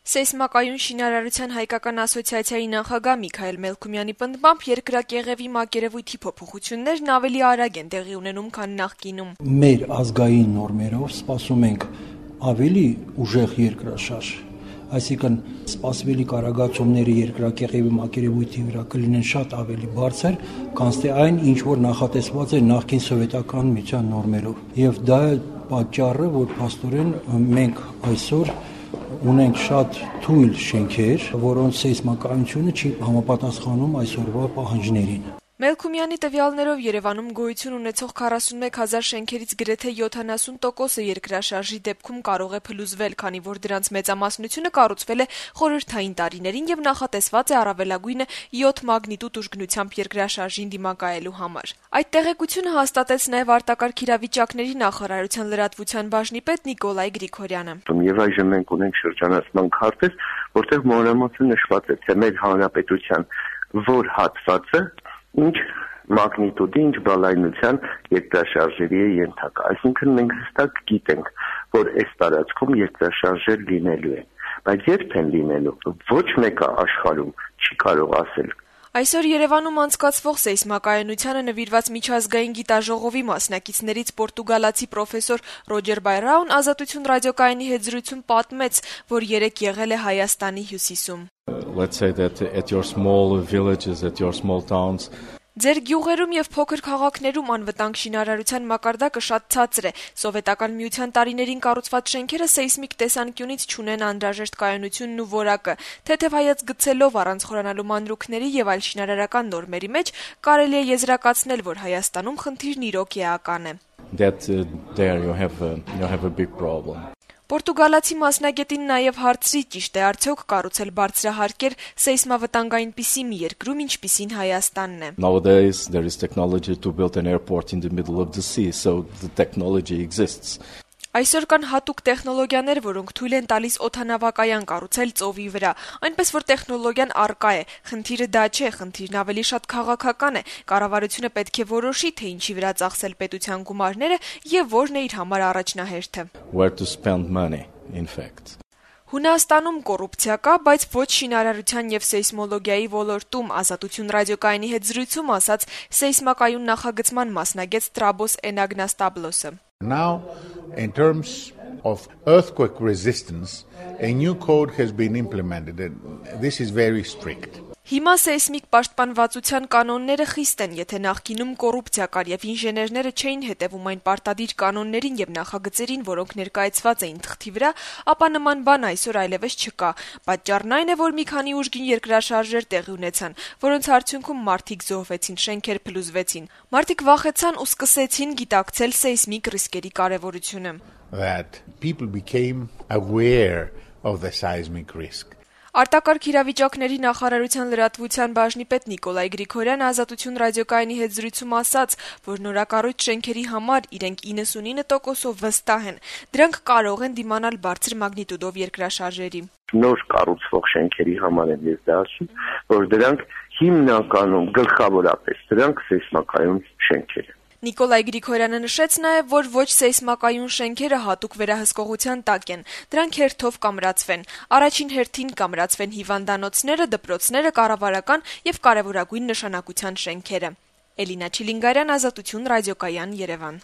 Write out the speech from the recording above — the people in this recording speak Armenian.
Սեյսմակայուն շինարարության հայկական ասոցիացիայի նախագահ Միքայել Մելքումյանի պնդմամբ երկրակեղևի մակերևույթի փոփոխություններն ավելի արագ են տեղի ունենում, քան նախկինում։ Մեր ազգային նորմերով սպասում ենք ավելի ուժեղ երկրաշարժ, այսինքն սպասվելի կարագացումները երկրակեղևի մակերևույթի վրա կլինեն շատ ավելի բարձր, քան այն, ինչ որ նախատեսված է նախկին սովետական միության նորմերով։ Եվ դա է պատճառը, որ փաստորեն մենք այսօր ունենք շատ թույլ շենքեր, որոնց սեյսմակայությունը չի համապատասխանում այսօրվա պահանջներին։ Մելքումյանի տվյալներով Երևանում գոյություն ունեցող 41,000 շենքերից գրեթե 70%-ը երկրաշարժի դեպքում կարող է փլուզվել, քանի որ դրանց մեծամասնությունը կառուցվել է խորհրդային տարիներին եւ նախատեսված է առավելագույնը 7 մագնիտուդ ուժգնությամբ երկրաշարժին դիմակայելու համար։ Այդ տեղեկությունը հաստատեց նաեւ արտակարգ իրավիճակների նախարարության լրատվության բաժնի պետ Նիկոլայ Գրիգորյանը։ Եվ այժմ մենք ունենք շրջանառման քարտեզ, որտեղ մանրամասն նշված է, թե մեր հանրապետության որ հատվածը ինչ մագնիտուդի, ինչ բալայնության երկրաշարժերի է ենթակա։ Այսինքն մենք հստակ գիտենք, որ այս տարածքում երկրաշարժեր լինելու են, բայց երբ են լինելու, ոչ մեկը աշխարհում չի կարող ասել։ Այսօր Երևանում անցկացվող սեյսմակայունությանը նվիրված միջազգային գիտաժողովի մասնակիցներից պորտուգալացի պրոֆեսոր Ռոջեր Բայրաուն Ազատություն ռադիոկայանի հետ զրույցում պատմեց, որ երեկ եղել է Հայաստանի հյուսիսում։ Let's say that at your small villages, at your small towns. Ձեր գյուղերում եւ փոքր քաղաքներում անվտանգ շինարարության մակարդակը շատ ցածր է։ Սովետական միության տարիներին կառուցված շենքերը սեյսմիկ տեսանկյունից չունեն անհրաժեշտ կայունությունն ու որակը։ Թեթև հայաց գցելով առանց խորանալու մանրուքների եւ այլ շինարարական նորմերի մեջ կարելի է եզրակացնել, որ Հայաստանում խնդիրն իրոք էական է։ That there you have a big problem. Պորտուգալացի մասնագետին նաև հարցրի, ճիշտ է արդյոք կառուցել բարձրահարկեր սեյսմավտանգ այնպիսի մի երկրում, ինչպիսին Հայաստանն է։ Nowadays there is technology to build an airport in the middle of the sea, so the technology exists. Այսօր կան հատուկ տեխնոլոգիաներ, որոնք թույլ են տալիս օդանավակայան կառուցել ծովի վրա, այնպես որ տեխնոլոգիան առկա է։ Խնդիրը դա չէ, խնդիրն ավելի շատ քաղաքական է։ Կառավարությունը պետք է որոշի, թե ինչի վրա ծախսել պետության գումարները եւ որն է իր համար առաջնահերթը։ Where to spend money, in fact. Հունաստանում կոռուպցիա կա, բայց ոչ շինարարության եւ սեյսմոլոգիայի ոլորտում, Ազատություն ռադիոկայանի հետ զրույցում ասաց սեյսմակայուն նախագծման մասնագետ Տրաբոս Էնագնաստաբլոսը։ Now, in terms of earthquake resistance, a new code has been implemented, and this is very strict. Հիմա սեյսմիկ պաշտպանվածության կանոնները խիստ են, եթե նախկինում կոռուպցիա կար եւ ինժեներները չէին հետեւում այն պարտադիր կանոններին եւ նախագծերին, որոնք ներկայացված էին թղթի վրա, ապա նման բան այսօր այլևս չկա։ Պատճառն այն է, որ մի քանի ուժգին երկրաշարժեր տեղի ունեցան, որոնց արդյունքում մարդիկ զոհվեցին, շենքեր փլուզվեցին։ Մարդիկ վախեցան ու սկսեցին գիտակցել սեյսմիկ ռիսկերի կարեւորությունը։ That people became aware of the seismic risk. Արտակարգ իրավիճակների նախարարության լրատվության բաժնի պետ Նիկոլայ Գրիգորյանը Ազատություն ռադիոկայանի հետ զրույցում ասաց, որ նորակառույց շենքերի համար իրենք 99%-ով վստահ են։ Դրանք կարող են դիմանալ բարձր մագնիտուդով երկրաշարժերի։ Նոր կառուցվող շենքերի համար եմ ես դա ասում, որ դրանք հիմնականում գլխավորապես դրանք սեյսմակայուն շենքեր են։ Նիկոլայ Գրիգորյանը նշեց նաև, որ ոչ սեյսմակայուն շենքերը հատուկ վերահսկողության տակ են։ Դրանք հերթով կամրացվեն։ Առաջին հերթին կամրացվեն հիվանդանոցները, դպրոցները, կառավարական եւ կարևորագույն նշանակության շենքերը։ Էլինա Չիլինգարյան, Ազատություն ռադիոկայան, Երևան։